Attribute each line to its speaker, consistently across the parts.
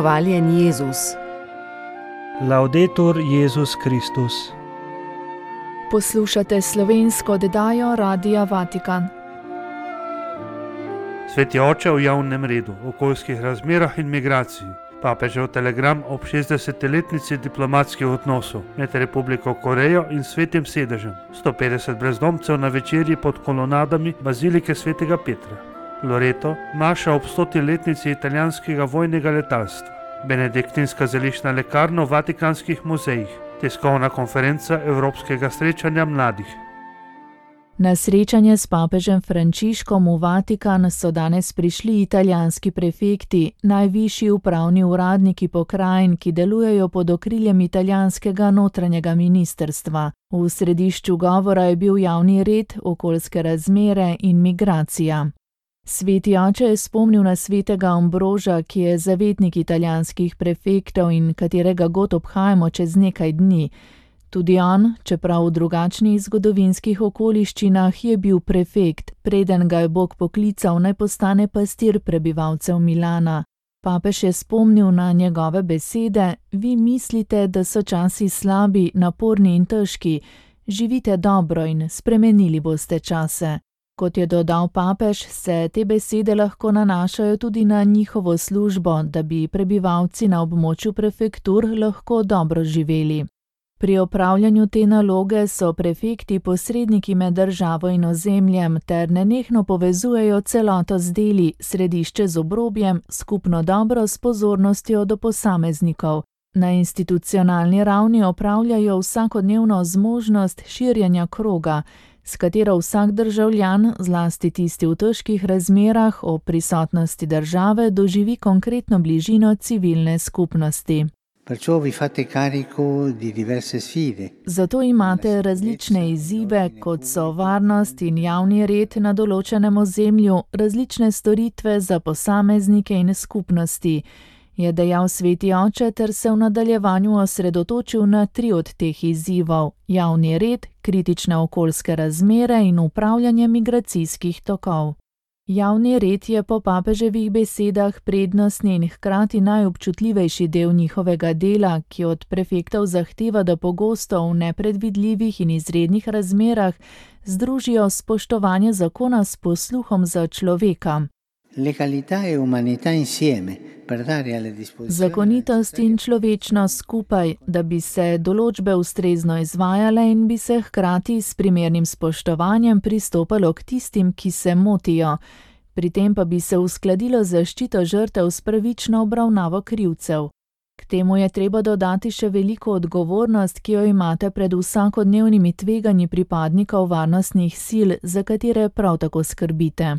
Speaker 1: Hvaljen Jezus.
Speaker 2: Laudetur Jezus Kristus.
Speaker 3: Poslušate slovensko oddajo Radia Vatikan.
Speaker 4: Sveti oče v javnem redu, okoljskih razmerah in migraciji. Papežev telegram ob 60-letnici diplomatskih odnosov med Republiko Korejo in Svetim sedežem. 150 brezdomcev na večerji pod kolonadami bazilike Svetega Petra. Loreto, maša ob 100-letnici italijanskega vojnega letalstva. Benediktinska zeliščna lekarna v Vatikanskih muzejih. Tiskovna konferenca Evropskega srečanja mladih.
Speaker 3: Na srečanje s papežem Frančiškom v Vatikan so danes prišli italijanski prefekti, najvišji upravni uradniki pokrajin, ki delujejo pod okriljem italijanskega notranjega ministrstva. V središču govora je bil javni red, okoljske razmere in migracija. Sveti oče je spomnil na svetega Ambroža, ki je zavetnik italijanskih prefektov in katerega god obhajamo čez nekaj dni. Tudi on, čeprav v drugačnih zgodovinskih okoliščinah, je bil prefekt, preden ga je Bog poklical, naj postane pastir prebivalcev Milana. Papež je spomnil na njegove besede: vi mislite, da so časi slabi, naporni in težki, živite dobro in spremenili boste čase. Kot je dodal papež, se te besede lahko nanašajo tudi na njihovo službo, da bi prebivalci na območju prefektur lahko dobro živeli. Pri opravljanju te naloge so prefekti posredniki med državo in ozemljem ter nenehno povezujejo celoto z deli, središče z obrobjem, skupno dobro s pozornostjo do posameznikov. Na institucionalni ravni opravljajo vsakodnevno zmožnost širjenja kroga, s katero vsak državljan, zlasti tisti v težkih razmerah, ob prisotnosti države doživi konkretno bližino civilne skupnosti. Zato imate različne izzive, kot so varnost in javni red na določenem ozemlju, različne storitve za posameznike in skupnosti, je dejal sveti oče ter se v nadaljevanju osredotočil na 3 od teh izzivov: javni red, kritične okoljske razmere in upravljanje migracijskih tokov. Javni red je po papeževih besedah prednostni in hkrati najobčutljivejši del njihovega dela, ki od prefektov zahteva, da pogosto v nepredvidljivih in izrednih razmerah združijo spoštovanje zakona s posluhom za človeka. Zakonitost in človečnost skupaj, da bi se določbe ustrezno izvajale in bi se hkrati s primernim spoštovanjem pristopalo k tistim, ki se motijo. Pri tem pa bi se uskladilo zaščito žrtev s pravično obravnavo krivcev. K temu je treba dodati še veliko odgovornost, ki jo imate pred vsakodnevnimi tveganji pripadnikov varnostnih sil, za katere prav tako skrbite.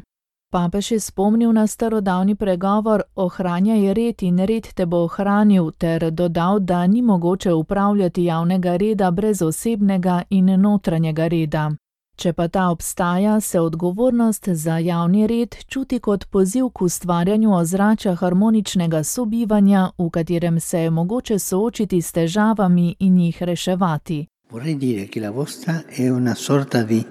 Speaker 3: Papež je spomnil na starodavni pregovor ohranjaj red in red te bo ohranil ter dodal, da ni mogoče upravljati javnega reda brez osebnega in notranjega reda. Če pa ta obstaja, se odgovornost za javni red čuti kot poziv k ustvarjanju ozračja harmoničnega sobivanja, v katerem se je mogoče soočiti s težavami in jih reševati.
Speaker 5: Vorrei dire che la vostra è una sorta di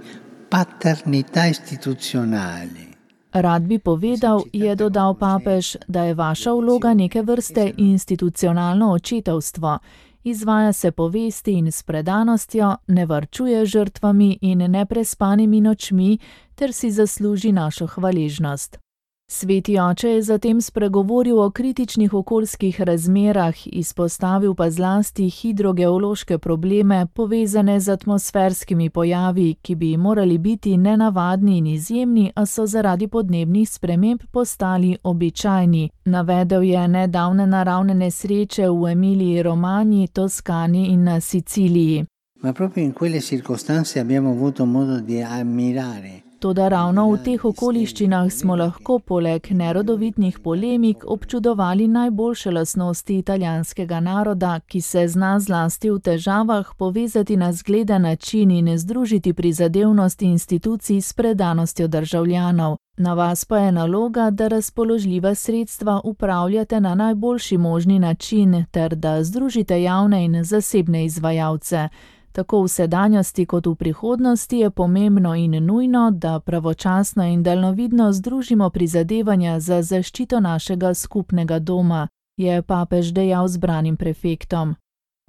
Speaker 5: paternità istituzionale.
Speaker 3: Rad bi povedal, je dodal papež, da je vaša vloga neke vrste institucionalno očetovstvo. Izvaja se po vesti in s predanostjo, ne varčuje žrtvami in neprespanimi nočmi ter si zasluži našo hvaležnost. Sveti oče je zatem spregovoril o kritičnih okoljskih razmerah, izpostavil pa zlasti hidrogeološke probleme, povezane z atmosferskimi pojavi, ki bi morali biti nenavadni in izjemni, a so zaradi podnebnih sprememb postali običajni. Navedel je nedavne naravne nesreče v Emiliji Romanji, Toskani in na Siciliji.
Speaker 5: Ma proprio in quelle circostanze abbiamo avuto modo di ammirare.
Speaker 3: Toda ravno v teh okoliščinah smo lahko poleg nerodovitnih polemik občudovali najboljše lastnosti italijanskega naroda, ki se zna zlasti v težavah povezati na zgleden način in združiti prizadevnost institucij s predanostjo državljanov. Na vas pa je naloga, da razpoložljiva sredstva upravljate na najboljši možni način ter da združite javne in zasebne izvajalce. Tako v sedanjosti kot v prihodnosti je pomembno in nujno, da pravočasno in daljnovidno združimo prizadevanja za zaščito našega skupnega doma. je papež dejal zbranim prefektom.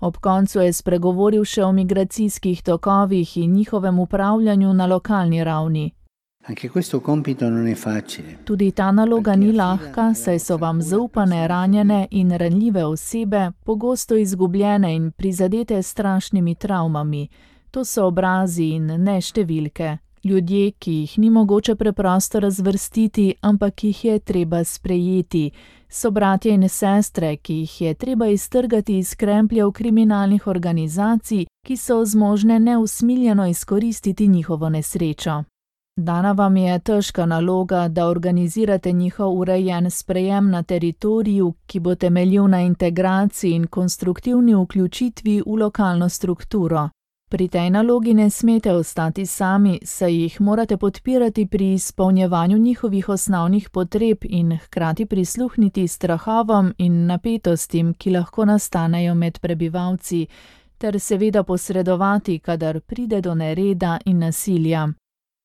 Speaker 3: Ob koncu je spregovoril še o migracijskih tokovih in njihovem upravljanju na lokalni ravni.
Speaker 5: Anche questo compito non è facile.
Speaker 3: Tudi ta naloga ni lahka, saj so vam zaupane, ranjene in ranljive osebe pogosto izgubljene in prizadete s strašnimi travmami. To so obrazi in ne številke. Ljudje, ki jih ni mogoče preprosto razvrstiti, ampak jih je treba sprejeti. So bratje in sestre, ki jih je treba iztrgati iz krempljev kriminalnih organizacij, ki so zmožne neusmiljeno izkoristiti njihovo nesrečo. Dana vam je težka naloga, da organizirate njihov urejen sprejem na teritoriju, ki bo temeljil na integraciji in konstruktivni vključitvi v lokalno strukturo. Pri tej nalogi ne smete ostati sami, saj jih morate podpirati pri izpolnjevanju njihovih osnovnih potreb in hkrati prisluhniti strahovom in napetostim, ki lahko nastanejo med prebivalci, ter seveda posredovati, kadar pride do nereda in nasilja.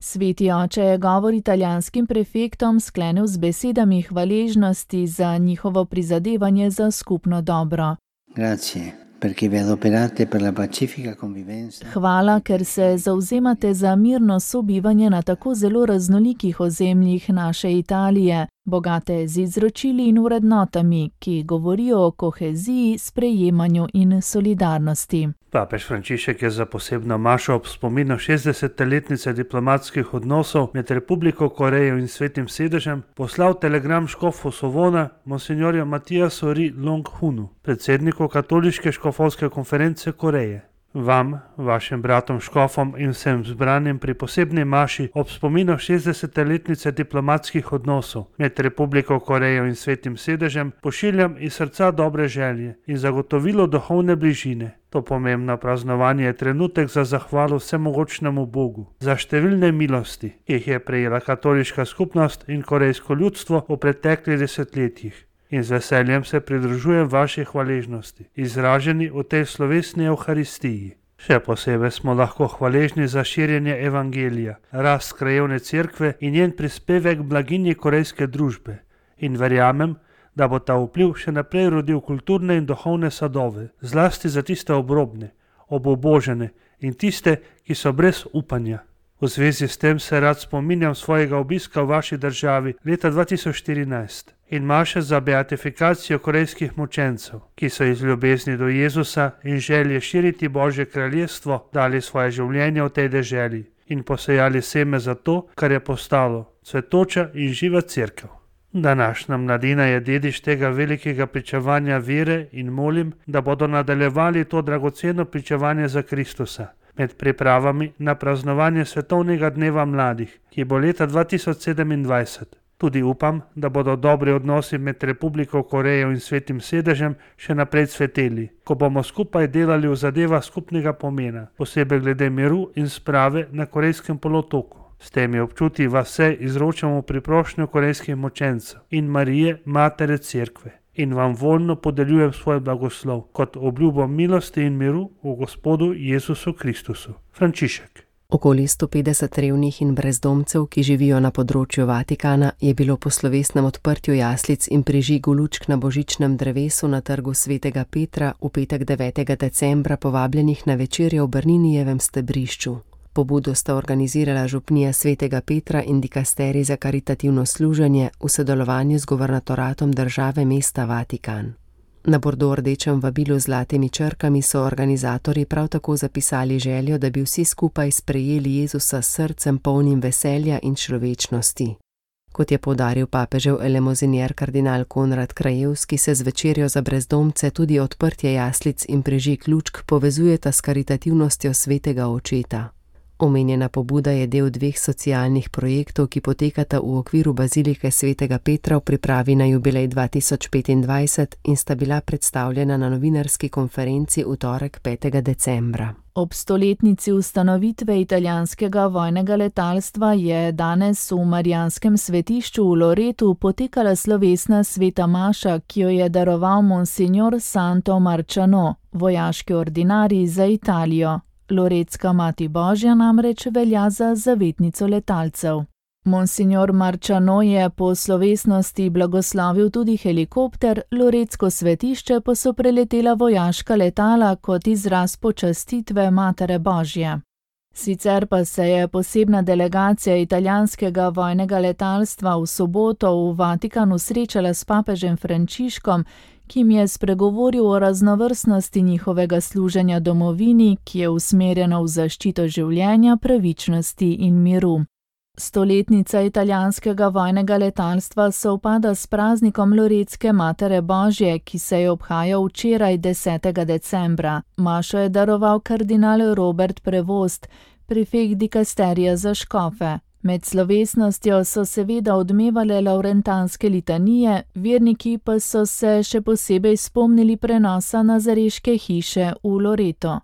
Speaker 3: Sveti oče je govor italijanskim prefektom sklenil z besedami hvaležnosti za njihovo prizadevanje za skupno dobro.
Speaker 5: Grazie, perché vi adoperate per la pacifica convivenza.
Speaker 3: Hvala, ker se zavzemate za mirno sobivanje na tako zelo raznolikih ozemljih naše Italije, bogate z izročili in vrednotami, ki govorijo o koheziji, sprejemanju in solidarnosti.
Speaker 4: Papež Frančišek je za posebno mašo ob spominu 60-letnice diplomatskih odnosov med Republiko Korejo in Svetim sedežem poslal telegram škofu Sovona, monsignorju Matijasu Ri Long-hunu, predsedniku Katoliške škofovske konference Koreje. Vam, vašim bratom škofom in vsem zbranim pri posebni maši ob spominu 60-letnice diplomatskih odnosov med Republiko Korejo in Svetim sedežem pošiljam iz srca dobre želje in zagotovilo duhovne bližine. To pomembno praznovanje je trenutek za zahvalo vsemogočnemu Bogu za številne milosti, ki jih je prejela katoliška skupnost in korejsko ljudstvo v preteklih desetletjih. In z veseljem se pridružujem vaši hvaležnosti, izraženi v tej slovesni Evharistiji. Še posebej smo lahko hvaležni za širjenje evangelija, rast krajevne cerkve in njen prispevek blaginji korejske družbe. In verjamem, da bo ta vpliv še naprej rodil kulturne in duhovne sadove, zlasti za tiste obrobne, obubožene in tiste, ki so brez upanja. V zvezi s tem se rad spominjam svojega obiska v vaši državi leta 2014 in maše za beatifikacijo korejskih mučencev, ki so iz ljubezni do Jezusa in želje širiti Božje kraljestvo dali svoje življenje v tej deželi in posejali seme za to, kar je postalo cvetoča in živa cerkev. Današnja mladina je dediš tega velikega pričevanja vere in molim, da bodo nadaljevali to dragoceno pričevanje za Kristusa med pripravami na praznovanje Svetovnega dneva mladih, ki bo leta 2027. Tudi upam, da bodo dobri odnosi med Republiko Korejo in Svetim sedežem še naprej cveteli, ko bomo skupaj delali v zadevah skupnega pomena, posebej glede miru in sprave na Korejskem polotoku. S temi občuti vas vse izročamo priprošnjo korejskih mučencev in Marije, Matere Cerkve. In vam voljno podeljujem svoj blagoslov kot obljubo milosti in miru v Gospodu Jezusu Kristusu. Frančišek.
Speaker 1: Okoli 150 revnih in brezdomcev, ki živijo na področju Vatikana, je bilo po slovesnem odprtju jaslic in prižigu lučk na božičnem drevesu na trgu Svetega Petra v petek 9. decembra povabljenih na večerjo v Bernínijevem stebrišču. Pobudo sta organizirala župnija Svetega Petra in dikasterij za karitativno služenje v sodelovanju z guvernatoratom države mesta Vatikan. Na bordo-rdečem vabilu z zlatimi črkami so organizatorji prav tako zapisali željo, da bi vsi skupaj sprejeli Jezusa s srcem polnim veselja in človečnosti. Kot je poudaril papežev elemozinier kardinal Konrad Krajevski, se z večerjo za brezdomce tudi odprtje jaslic in prižig lučk povezujeta s karitativnostjo Svetega Očeta. Omenjena pobuda je del 2 socialnih projektov, ki potekata v okviru Bazilike Svetega Petra v pripravi na jubilej 2025 in sta bila predstavljena na novinarski konferenci v torek 5. decembra.
Speaker 3: Ob stoletnici ustanovitve italijanskega vojnega letalstva je danes v Marijanskem svetišču v Loretu potekala slovesna sveta maša, ki jo je daroval monsignor Santo Marciano, vojaški ordinarij za Italijo. Loretska mati Božja namreč velja za zavetnico letalcev. Monsignor Marčano je po slovesnosti blagoslovil tudi helikopter, Loretsko svetišče pa so preletela vojaška letala kot izraz počastitve Matere Božje. Sicer pa se je posebna delegacija italijanskega vojnega letalstva v soboto v Vatikanu srečala s papežem Frančiškom, ki jim je spregovoril o raznovrstnosti njihovega služenja domovini, ki je usmerjeno v zaščito življenja, pravičnosti in miru. Stoletnica italijanskega vojnega letalstva sovpada s praznikom Loretske Matere Božje, ki se je obhajal včeraj 10. decembra. Mašo je daroval kardinal Robert Prevost, prefekt dikasterija za škofe. Med slovesnostjo so seveda odmevale lavrentanske litanije, verniki pa so se še posebej spomnili prenosa Nazareške hiše v Loreto.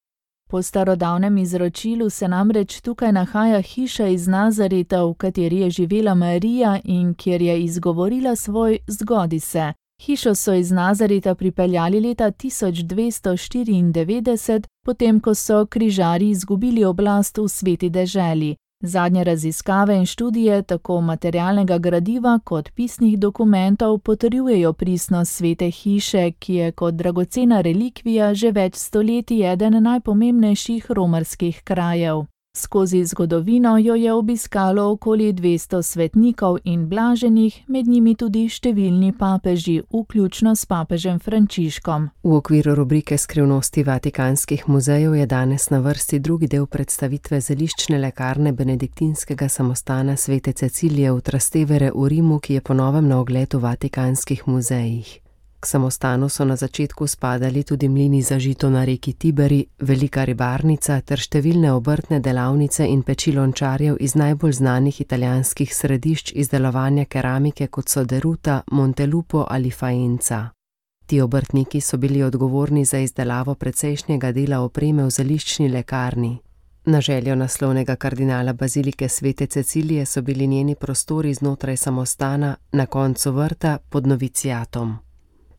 Speaker 3: Po starodavnem izročilu se namreč tukaj nahaja hiša iz Nazareta, v kateri je živela Marija in kjer je izgovorila svoj zgodi se. Hišo so iz Nazareta pripeljali leta 1294, potem ko so križarji izgubili oblast v Sveti deželi. Zadnje raziskave in študije tako materialnega gradiva kot pisnih dokumentov potrjujejo pristnost svete hiše, ki je kot dragocena relikvija že več stoletij eden najpomembnejših romarskih krajev. Skozi zgodovino jo je obiskalo okoli 200 svetnikov in blaženih, med njimi tudi številni papeži, vključno s papežem Frančiškom.
Speaker 1: V okviru rubrike Skrivnosti vatikanskih muzejev je danes na vrsti drugi del predstavitve zeliščne lekarne benediktinskega samostana svete Cecilije v Trastevere v Rimu, ki je po novem na ogled v vatikanskih muzejih. K samostanu so na začetku spadali tudi mlini za žito na reki Tiberi, velika ribarnica ter številne obrtne delavnice in peči lončarjev iz najbolj znanih italijanskih središč izdelovanja keramike, kot so Deruta, Montelupo ali Faenza. Ti obrtniki so bili odgovorni za izdelavo precejšnjega dela opreme v zeliščni lekarni. Na željo naslovnega kardinala bazilike svete Cecilije so bili njeni prostori znotraj samostana na koncu vrta pod noviciatom.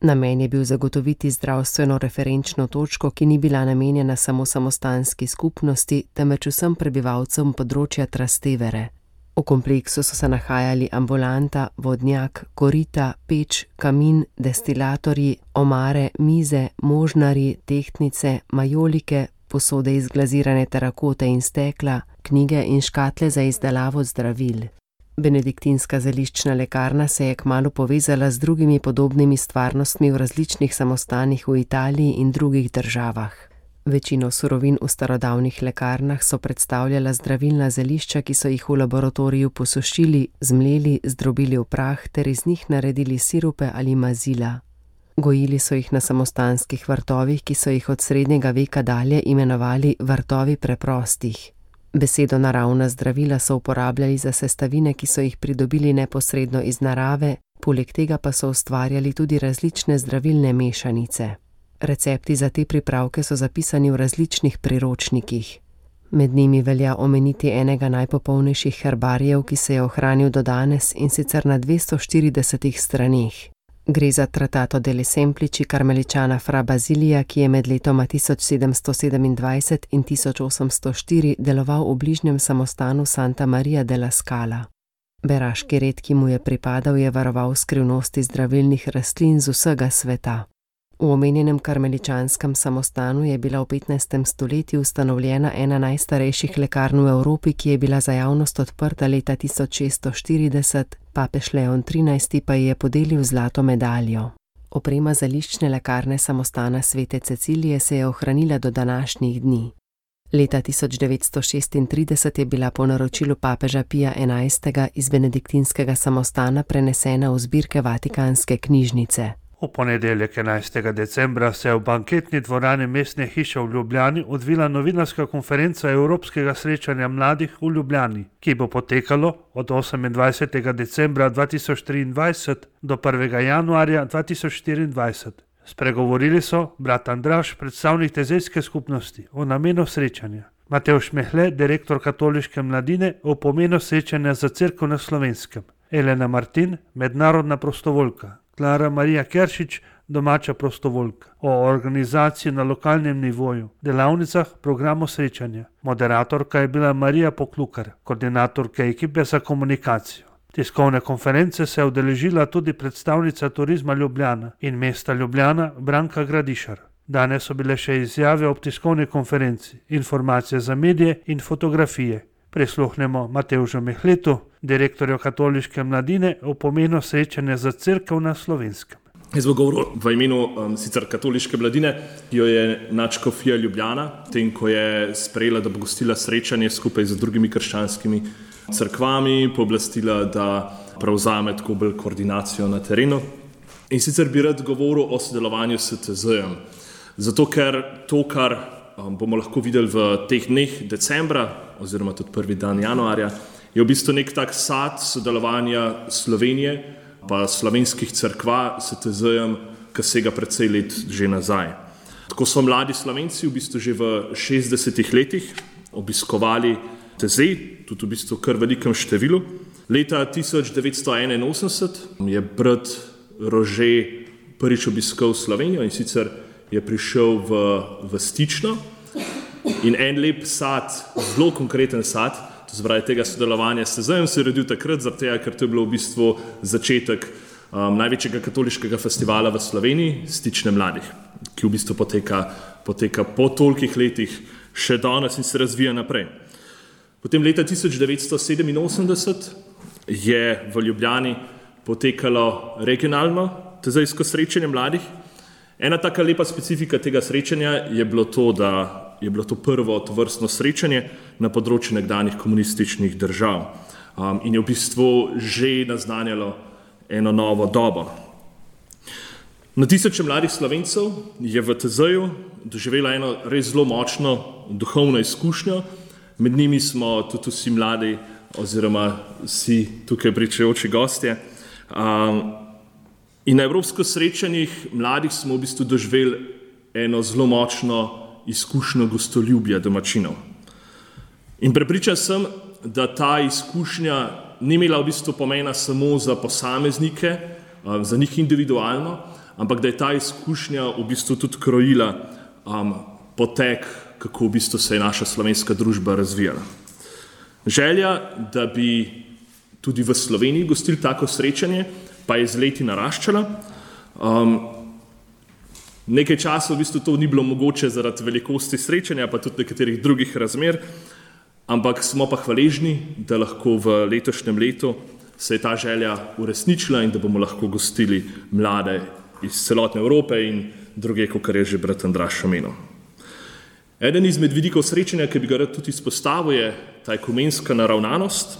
Speaker 1: Namen je bil zagotoviti zdravstveno referenčno točko, ki ni bila namenjena samo samostanski skupnosti, temveč vsem prebivalcem področja Trastevere. V kompleksu so se nahajali ambulanta, vodnjak, korita, peč, kamin, destilatorji, omare, mize, možnari, tehtnice, majolike, posode iz glazirane terakote in stekla, knjige in škatle za izdelavo zdravil. Benediktinska zeliščna lekarna se je kmalu povezala z drugimi podobnimi stvarnostmi v različnih samostanih v Italiji in drugih državah. Večino surovin v starodavnih lekarnah so predstavljala zdravilna zelišča, ki so jih v laboratoriju posušili, zmleli, zdrobili v prah ter iz njih naredili sirupe ali mazila. Gojili so jih na samostanskih vrtovih, ki so jih od srednjega veka dalje imenovali vrtovi preprostih. Besedo naravna zdravila so uporabljali za sestavine, ki so jih pridobili neposredno iz narave, poleg tega pa so ustvarjali tudi različne zdravilne mešanice. Recepti za te pripravke so zapisani v različnih priročnikih. Med njimi velja omeniti enega najpopolnejših herbarijev, ki se je ohranil do danes, in sicer na 240 straneh. Gre za Trattato delle Semplici karmeličana fra Basilija, ki je med letoma 1727 in 1804 deloval v bližnjem samostanu Santa Maria della Scala. Beraški red, ki mu je pripadal, je varoval skrivnosti zdravilnih rastlin z vsega sveta. V omenjenem karmeličanskem samostanu je bila v 15. stoletju ustanovljena ena najstarejših lekarn v Evropi, ki je bila za javnost odprta leta 1640, papež Leon XIII pa ji je podelil zlato medaljo. Oprema zeliščne lekarne samostana svete Cecilije se je ohranila do današnjih dni. Leta 1936 je bila po naročilu papeža Pija XI. Iz benediktinskega samostana prenesena v zbirke Vatikanske knjižnice.
Speaker 4: V ponedeljek 11. decembra se je v banketni dvorani Mestne hiše v Ljubljani odvila novinarska konferenca Evropskega srečanja mladih v Ljubljani, ki bo potekalo od 28. decembra 2023 do 1. januarja 2024. Spregovorili so brat Andraž, predstavnik tezejske skupnosti, o namenu srečanja, Matevž Mehle, direktor katoliške mladine, o pomenu srečanja za cerkev na Slovenskem, Elena Martin, mednarodna prostovoljka, Klara Marija Keršič, domača prostovoljka, o organizaciji na lokalnem nivoju, delavnicah, programu srečanja. Moderatorka je bila Marija Poklukar, koordinatorka ekipe za komunikacijo. Tiskovne konference se je udeležila tudi predstavnica Turizma Ljubljana in mesta Ljubljana Branka Gradišar. Danes so bile še izjave ob tiskovni konferenci, informacije za medije in fotografije. Prisluhnemo Matevžu Mehletu, direktorju Katoliške mladine, o pomenu srečanja za cerkev na Slovenskem.
Speaker 2: Jaz bom govoril v imenu sicer Katoliške mladine, ki jo je nadškofija Ljubljana, tem, ko je sprejela, da bo gostila srečanje skupaj z drugimi krščanskimi cerkvami, pooblastila, da prevzame tako bolj koordinacijo na terenu. In sicer bi rad govoril o sodelovanju s TZ-jem. Zato, ker to, kar bomo lahko videli v teh dneh decembra, oziroma tudi prvi dan januarja, je v bistvu nek tak sad sodelovanja Slovenije pa slovenskih cerkva s TZ-jem, ki sega precej let že nazaj. Tako so mladi Slovenci v bistvu že v 60 letih obiskovali TZ, tudi v bistvu kar velikem številu. Leta 1981 je brat Rože prvič obiskal Slovenijo in sicer je prišel v Stično in en lep sad, zelo konkreten sad, to zbraje tega sodelovanja s TZ-jem se je rodil takrat, zaradi tega, ker to je bilo v bistvu začetek največjega katoliškega festivala v Sloveniji, Stične mladih, ki v bistvu poteka po tolikih letih še danes in se razvija naprej. Potem leta 1987 je v Ljubljani potekalo regionalno TZ-jsko srečanje mladih. Ena taka lepa specifika tega srečanja je bilo to, da je bilo to prvo tovrstno srečanje na področju nekdanjih komunističnih držav in je v bistvu že naznanjalo eno novo dobo. Na tisoče mladih Slovencev je v TZ-ju doživela eno res zelo močno duhovno izkušnjo, med njimi smo tudi vsi mladi oziroma vsi tukaj pričajoči gostje. In na evropskih srečanjih mladih smo v bistvu doživeli eno zelo močno izkušnjo gostoljubja domačinov. In prepričan sem, da ta izkušnja ni imela v bistvu pomena samo za posameznike, za njih individualno, ampak da je ta izkušnja v bistvu tudi krojila potek, kako v bistvu se je naša slovenska družba razvijala. Želja, da bi tudi v Sloveniji gostili tako srečanje, pa je z leti naraščala. Nekaj časa v bistvu to ni bilo mogoče zaradi velikosti srečanja, pa tudi nekaterih drugih razmer, ampak smo pa hvaležni, da lahko v letošnjem letu se je ta želja uresničila in da bomo lahko gostili mlade iz celotne Evrope in druge, kakor je že brat Andraž omenil. Eden izmed vidikov srečanja, ki bi ga rad tudi izpostavil, je ta ekumenska naravnanost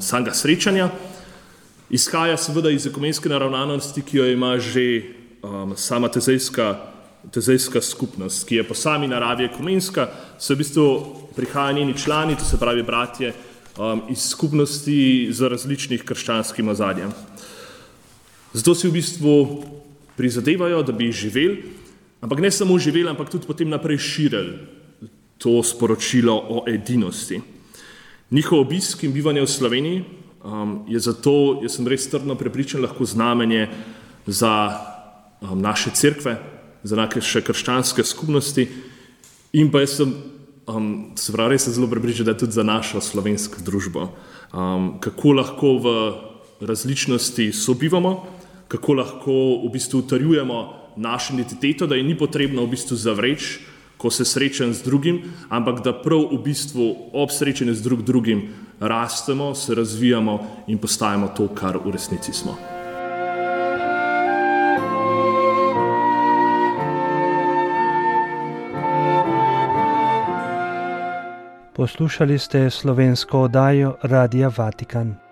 Speaker 2: samega srečanja. Izhaja seveda iz ekumenske naravnanosti, ki jo ima že sama TZ-jska skupnost, ki je po sami naravi ekumenska, so v bistvu prihajajo njeni člani, to se pravi bratje, iz skupnosti z različnih krščanskim ozadjem. Zato si v bistvu prizadevajo, da bi živeli, ampak ne samo živeli, ampak tudi potem naprej širili to sporočilo o edinosti. Njihov obisk in bivanje v Sloveniji je zato, jaz sem res trdno prepričan, lahko znamenje za naše cerkve, za naše krščanske skupnosti in pa jaz sem, se pravi, res sem zelo prepričan, da tudi za našo slovensko družbo. Kako lahko v različnosti sobivamo, kako lahko v bistvu utrjujemo našo identiteto, da je ni potrebno v bistvu zavreči, ko se srečam z drugim, ampak da prav v bistvu ob srečanju z drugim rastemo, se razvijamo in postajamo to, kar v resnici smo.
Speaker 6: Poslušali ste slovensko oddajo Radia Vatikan.